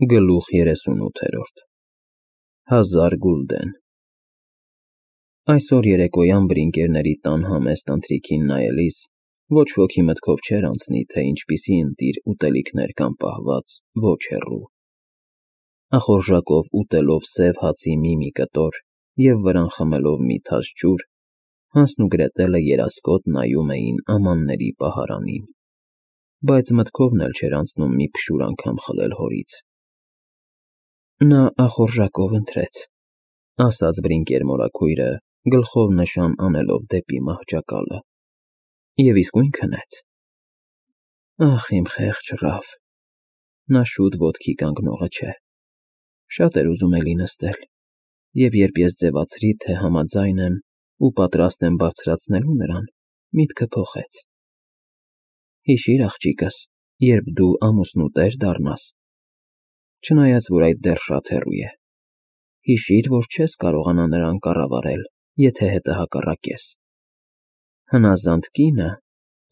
Գլուխ 38 1000 գուլդեն Այսօր երեկոյան բրինկերների տան համեստ ընթրիքին նայելիս ոչ ոքի մտքով չէր անցնի, թե ինչպիսի ընտիր ուտելիքներ կան պահված ոչ հեռու։ Ախորժակով ուտելով սև հացի մի կտոր և վրան խմելով մի թաս ջուր, Հանսն ու Գրետելը երասկոտ նայում էին ամանների պահարանին, բայց մտքովն էլ չէր անցնում մի փշուր անգամ խլել հորից։ Նա ախորժակով ընթրեց, ասաց բրինկեր մորաքույրը, գլխով նշան անելով դեպի մահճակալը, և իսկույն քնեց։ Ախ, իմ խեղճ Ռաֆ, նա շուտ ոտքի կանգնողը չէ, շատ էր ուզում էլի նստել, և երբ ես ձևացրի, թե համաձայն եմ ու պատրաստ եմ բարձրացնելու նրան, միտքը փոխեց։ Հիշիր, աղջիկս, երբ դու ամուսնուտեր դառնաս, չնայած որ այդ դեռ շատ հեռու է, հիշիր, որ չես կարողանա նրան կառավարել, եթե հետը հակառակես։ Հնազանդ կինը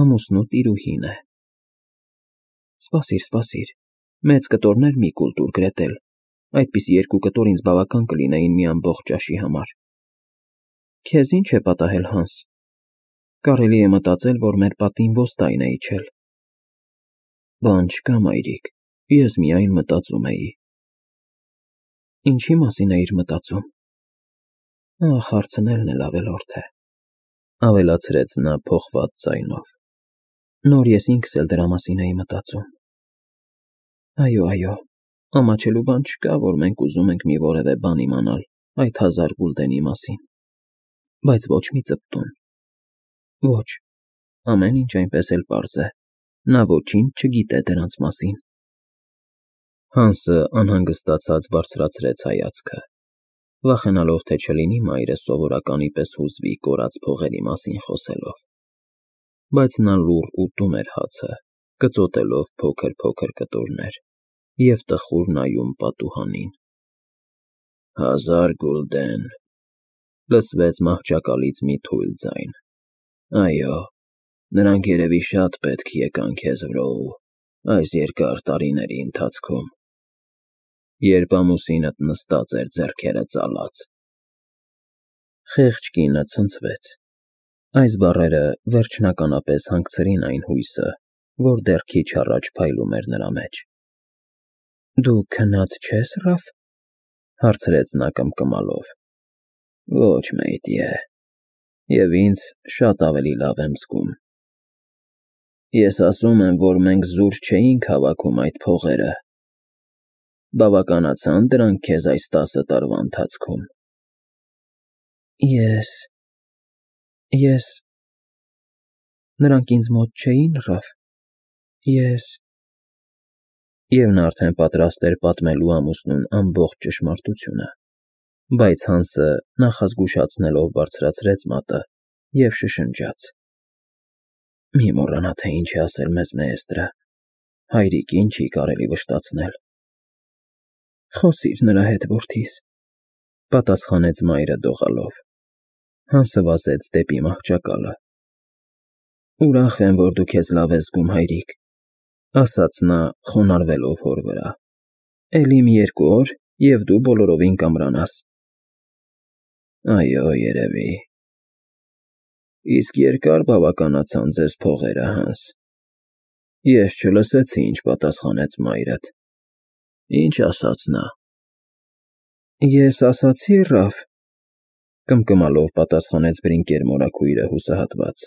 ամուսնու տիրուհին է։ Սպասիր, մեծ կտորներ մի կուլ տուր, Գրետել, այդպիսի 2 կտոր ինձ բավական կլինեին մի ամբողջ ճաշի համար։ Քեզ ինչ է պատահել, Հանս, կարելի է մտածել, որ մեր պատին ոստայն է իջել։ Բան չկա, մայրիկ, ես միայն մտածում էի։ Ինչի մասին էիր մտածում։ Ախ, հարցնելն էլ ավելորդ է, ավելացրեց նա փոխված ձայնով։ Նոր ես ինքս էլ դրա մասին էի մտածում։ Այո, ամաչելու բան չկա, որ մենք ուզում ենք մի որևէ բան իմանալ այդ 1000 գուլդենի մասին, բայց ոչ մի ծպտուն։ Ոչ, ամեն ինչ այնպես էլ պարզ է, նա ոչինչ չգիտե դրանց մասին։ Հանսը անհանգստացած բարձրացրեց հայացքը, վախենալով, թե չլինի մայրը սովորականի պես հուզվի կորած փողերի մասին խոսելով, բայց նա լուռ ուտում էր հացը, կծոտելով փոքր կտորներ և տխուր նայում պատուհանին։ 1000 գուլդեն, լսվեց մահճակալից մի թույլ ձայն։ Այո, նրանք երևի շատ պետք եկան քեզ վրո այս երկար տարիների ընթացքում, երբ ամուսինդ նստած էր ձեռքերը ծալած։ Խեղճ կինը ցնցվեց։ Այս բառերը վերջնականապես հանգցրին այն հույսը, որ դեռ քիչ առաջ փայլում էր նրա մեջ։ Դու քնած չե՞ս, Ռաֆ, հարցրեց նա կմկմալով։ Ոչ, մեյդիե, և ինձ շատ ավելի լավ եմ զգում։ Ես ասում եմ, որ մենք զուր չէինք հավաքում այդ փողերը։ Բավականացա՞ն դրանք քեզ այս 10 տարվա ընթացքում։ Ես… Նրանք ինձ մոտ չէին, Ռաֆ, ես… Եվ նա արդեն պատրաստ էր պատմելու ամուսնուն ամբողջ ճշմարտությունը, բայց Հանսը նախազգուշացնելով բարձրացրեց մատը և շշնջաց. Մի մոռանա, թե ինչ է ասել մեզ Մեեստրը, հայրիկին չի կարելի վշտացնել։ Խոսիր նրա հետ, որդիս, պատասխանեց մայրը դողալով։ Հանսը վազեց դեպի մահճակալը։ Ուրախ եմ, որ դու քեզ լավ ես զգում, հայրիկ, ասաց նա խոնարհվելով հոր վրա։ Էլի մի 2 օր, և դու բոլորովին կամրանաս։ Այո, երևի։ Իսկ երկա՞ր բավականացան ձեզ փողերը, Հանս։ Ես չլսեցի, ինչ պատասխանեց մայրդ։ Ինչ ասաց նա։ Ես ասացի, Ռաֆ, կմկմալով պատասխանեց բրինկեր մորաքույրը հուսահատված,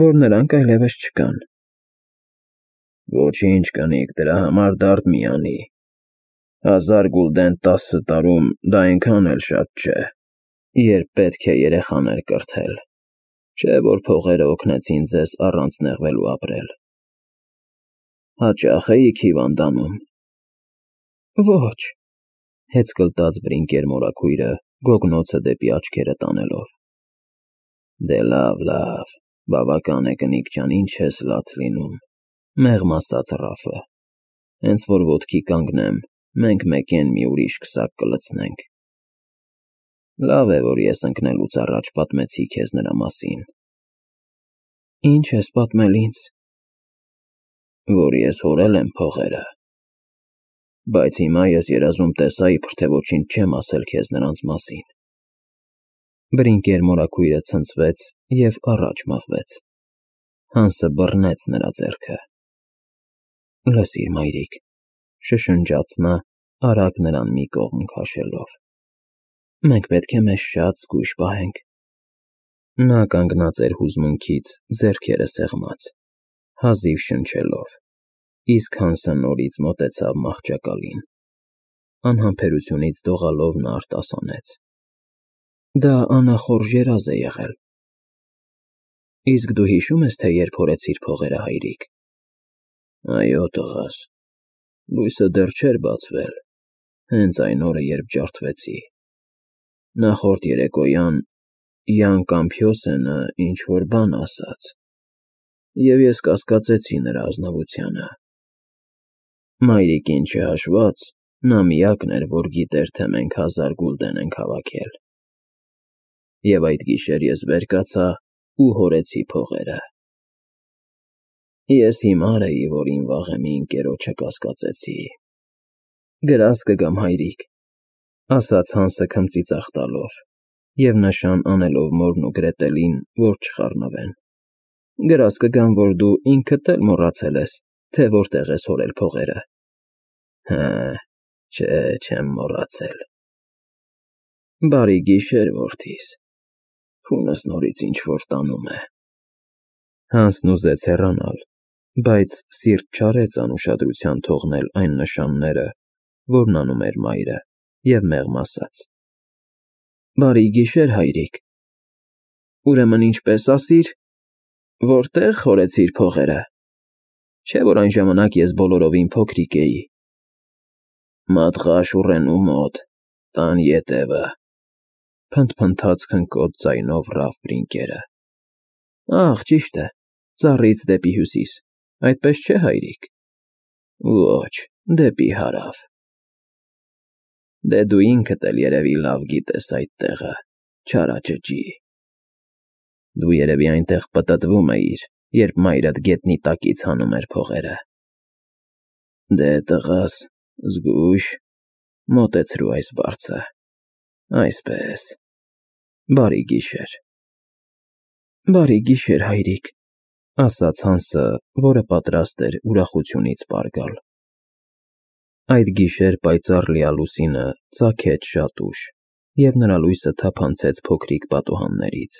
որ նրանք այլևս չկան։ Ոչինչ, կնիկ, դրա համար դարդ մի անի։ 1000 գուլդեն 10 տարում դա այնքան էլ շատ չէ, երբ պետք է երեխաներ կրթել, չէ՞ որ փողերը օգնեցին ձեզ առանց նեղվելու ապրել։ Հաճա՞խ էիք հիվանդանում։ Ոչ, հեծկլտաց բրինկեր մորաքույրը, գոգնոցը դեպի աչքերը տանելով։ Դե լավ, բավական է, կնիկ ջան, ինչ ես լաց լինում, մեղմ ասաց Ռաֆը, հենց որ ոտքի կանգնեմ, մենք մեկեն մի ուրիշ քսակ կլցնենք։ Լավ է, որ ես ընկնելուց առաջ պատմեցի քեզ նրա մասին։ Ինչ ես պատմել ինձ։ Որ ես հորել եմ փողերը։ Բայց հիմա ես երազում տեսա, իբր թե ոչինչ չեմ ասել քեզ նրանց մասին։ Բրինկեր մորաքույրը ցնցվեց և առաջ մղվեց։ Հանսը բռնեց նրա ձեռքը։ Լսիր, մայրիկ, շշնջաց նա, արագ նրան մի կողմ քաշելով։ Մենք պետք է մեզ շատ զգույշ պահենք։ Նա կանգնած էր հուզմունքից, ձեռքերը սեղմած, հազիվ շնչելով, իսկ Հանսը նորից մոտեցավ մահճակալին։ Անհամբերությունից դողալով նա արտասանեց. Դա անախորժ երազ է եղել։ Իսկ դու հիշո՞ւմ ես, թե երբ հորեցիր փողերը, հայրիկ։ Այո, տղաս, լույսը դեռ չէր բացվել, հենց այն օրը, երբ ջարդվեցի։ Նախորդ երեկոյան Յան Կամփյոսենը ինչ-որ բան ասաց, և ես կասկածեցի նրա ազնվությանը։ Մայրիկին չհաշված, նա միակն էր, որ գիտեր, թե մենք 1000 գուլդեն ենք հավաքել։ Եվ այդ գիշեր ես վեր կացա ու հորեցի փողերը։ Ես հիմար էի, որ իմ վաղեմի ընկերոջը կասկածեցի։ Գրազ կգամ, հայրիկ, ասաց Հանսը քմծիծաղ տալով և նշան անելով մորն ու Գրետելին, որ չխառնվեն։ Գրազ կգամ, որ դու ինքդ էլ մոռացել ես, թե որտեղ ես հորել փողերը։ Հը, չէ, չեմ մոռացել։ Բարի գիշեր, որդիս, քունս նորից ինչ-որ տանում է։ Հանսն ուզեց հեռանալ, բայց սիրտ չարեց անուշադրության թողնել այն նշանները, որն անում էր մայրը, և մեղմ ասաց. Բարի գիշեր, հայրիկ։ Ուրեմն ինչպես ասիր, որտեղ հորեցիր փողերը։ Չէ՞ որ այն ժամանակ ես բոլորովին փոքրիկ էի։ Մատղաշուռենու մոտ, տան ետևը, փնթփնթաց քնկոտ ձայնով Ռաֆ Բրինկերը։ Ահ, ճիշտ է, ծառից դեպի հյուսիս, այդպես չէ՞, հայրիկ։ Ոչ, դեպի հարավ։ Դե դու ինքդ էլ երևի լավ գիտես այդ տեղը, չարաճճի։ Դու երևի այնտեղ պտտվում էիր, երբ մայրդ գետնի տակից հանում էր փողերը։ Դե, տղաս, զգույշ, մոտեցրու այս բարձը, այսպես, բարի գիշեր։ Բարի գիշեր, հայրիկ, ասաց Հանսը, որը պատրաստ էր ուրախությունից պար գալ։ Այդ գիշեր պայծառ լիալուսինը ծագեց շատ ուշ, և նրա լույսը թափանցեց փոքրիկ պատուհաններից,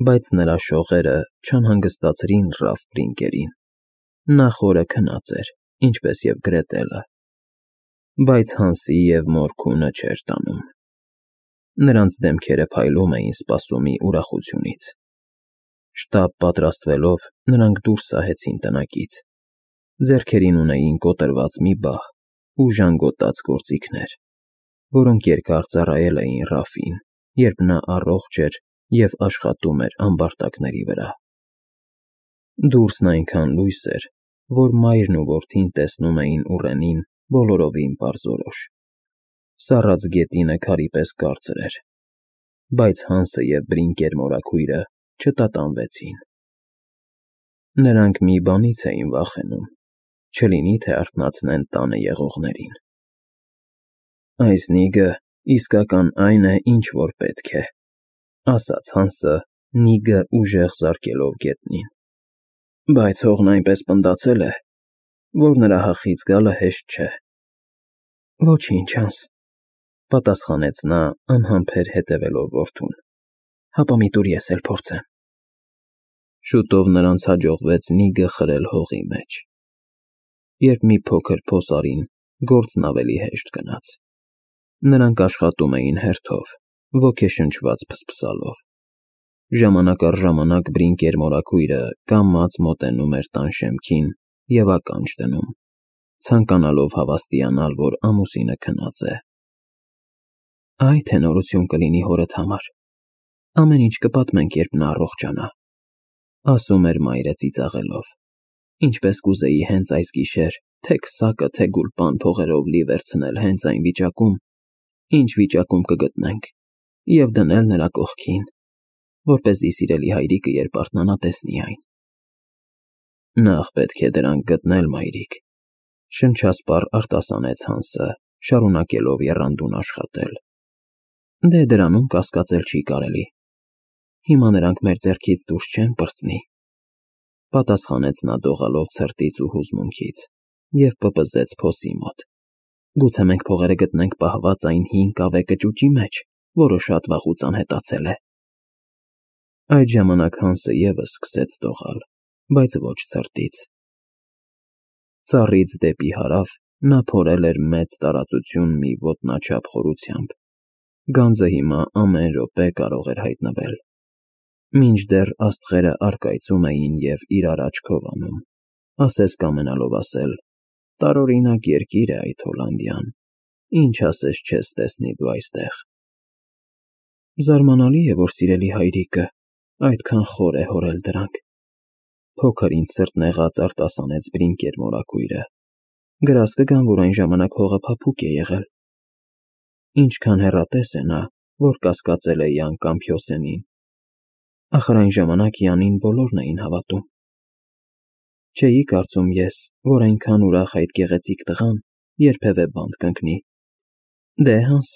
բայց նրա շողերը չանհանգստացրին Ռաֆ Բրինկերին։ Նա խորը քնած էր, ինչպես և Գրետելը, բայց Հանսի և մոր քունը չէր տանում։ Նրանց դեմքերը փայլում էին սպասումի ուրախությունից։ Շտապ պատրաստվելով, նրանք դուրս սահեցին տնակից։ Ձեռքերին ունեին կոտրված մի բահ ու ժանգոտած գործիքներ, որոնք երկար ծառայել էին Ռաֆին, երբ նա առողջ էր և աշխատում էր ամբարտակների վրա։ Դուրսն այնքան լույս էր, որ մայրն ու որդին տեսնում էին ուռենին բոլորովին պարզորոշ։ Սառած գետինը քարի պես կարծր էր, բայց Հանսը և Բրինկեր մորաքույրը չտատանվեցին։ Նրանք մի բանից էին վախենում, չլինի թե արթնացնեն տանը եղողներին։ Այս նիգը իսկական այն է, ինչ որ պետք է, ասաց Հանսը, նիգը ուժեղ զարկելով գետնին։ Բայց հողն այնպես պնդացել է, որ նրա հախից գալը հեշտ չէ։ Ոչինչ, Հանս, պատասխանեց նա, անհամբեր հետևելով որդուն։ Հապա մի տուր ես էլ փորձեմ։ Շուտով նրանց հաջողվեց նիգը խրել հողի մեջ։ Երբ մի փոքր փոսարին, գործն ավելի հեշտ գնաց։ Նրանք աշխատում էին հերթով, ոգեշնչված փսփսալով։ Ժամանակ առ ժամանակ Բրինկեր մորաքույրը կամաց մոտենում էր տան շեմքին և ականջ դնում, ցանկանալով հավաստիանալ, որ ամուսինը քնած է։ Այ թե նորություն կլինի հորդ համար։ Ամեն ինչ կպատմենք, երբ նա առողջանա, ասում էր մայրը ծիծաղելով։ Ինչպես կուզեի հենց այս գիշեր թե քսակը, թե գուլպան փողերով լի վերցնել հենց այն վիճակում, ինչ վիճակում կգտնենք, և դնել նրա կողքին, որպեսզի սիրելի հայրիկը, երբ արթնանա, տեսնի այն։ Նախ պետք է դրանք գտնել, մայրիկ, Շնչասպառ արտասանեց Հանսը, շարունակելով եռանդուն աշխատել։ Դե դրանում կասկածել չի կարելի։ Հիմա նրանք մեր ձեռքից դուրս չեն պրծնի, պատասխանեց նա դողալով ցրտից ու հուզմունքից և պպզեց փոսի մոտ։ Գուցե մենք փողերը գտնենք պահված այն հին կավե կճուճի մեջ, որը շատ վաղուց անհետացել է։ Այդ ժամանակ Հանսը ևս սկսեց դողալ, բայց ոչ ցրտից։ Ծառից դեպի հարավ նա փորել էր մեծ տարածություն մի ոտնաչափ խորությամբ։ Գանձը հիմա ամեն րոպե կարող էր հայտնվել։ Մինչդեռ աստղերը առկայծում էին և իրար աչքով անում, ասես կամենալով ասել. տարօրինակ երկիր է այդ Հոլանդիան, ինչ ասես չես տեսնի դու այստեղ։ Զարմանալի է, որ սիրելի հայրիկը այդքան խոր է հորել դրանք, փոքր ինձ սրտնեղած արտասանեց Բրինկեր մորաքույրը։ Գրազ կգան, որ այն ժամանակ հողը փափուկ է եղել։ Ինչքան հեռատես է նա, որ կասկածել է Յան Կամփյոսենին։ Ախր այն ժամանակ Յանին բոլորն էին հավատում։ Չէի կարծում ես, որ այնքան ուրախ այդ գեղեցիկ տղան երբևէ բանտ կընկնի։ Դե, Հանս,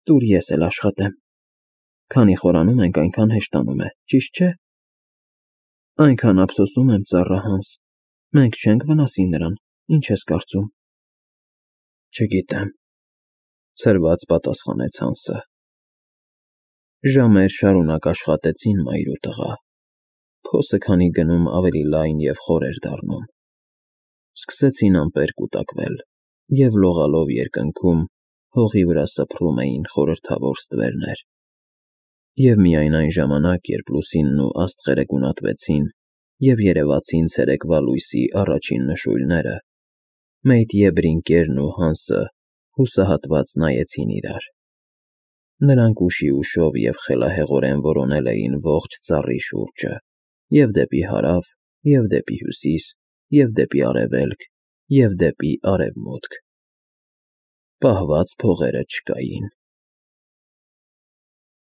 տուր ես էլ աշխատեմ։ Քանի խորանում ենք, այնքան հեշտանում է, ճիշտ չէ։ Այնքան ափսոսում եմ, ծառա Հանս, մենք չենք վնասի նրան, ինչ ես կարծում։ Չգիտեմ, ցրված պատասխանեց Հանսը։ Ժամեր շարունակ աշխատեցին մայր ու տղա։ Փոսը քանի գնում ավելի լայն և խոր էր դառնում։ Սկսեցին ամպեր կուտակվել, և լողալով երկնքում հողի վրա սփռում էին խորհրդավոր ստվերներ։ Եվ միայն այն ժամանակ, երբ լուսինն ու աստղերը գունատվեցին և երևացին ցերեկվա լույսի առաջին նշույլները, Մեյտյե Բրինկերն ու Հանսը հուսահատված նայեցին իրար։ Նրանք ուշի ուշով և խելահեղորեն որոնել էին ողջ ծառի շուրջը, և դեպի հարավ, և դեպի հյուսիս, և դեպի արևելք, և դեպի արևմուտք։ Պահված փողերը չկային։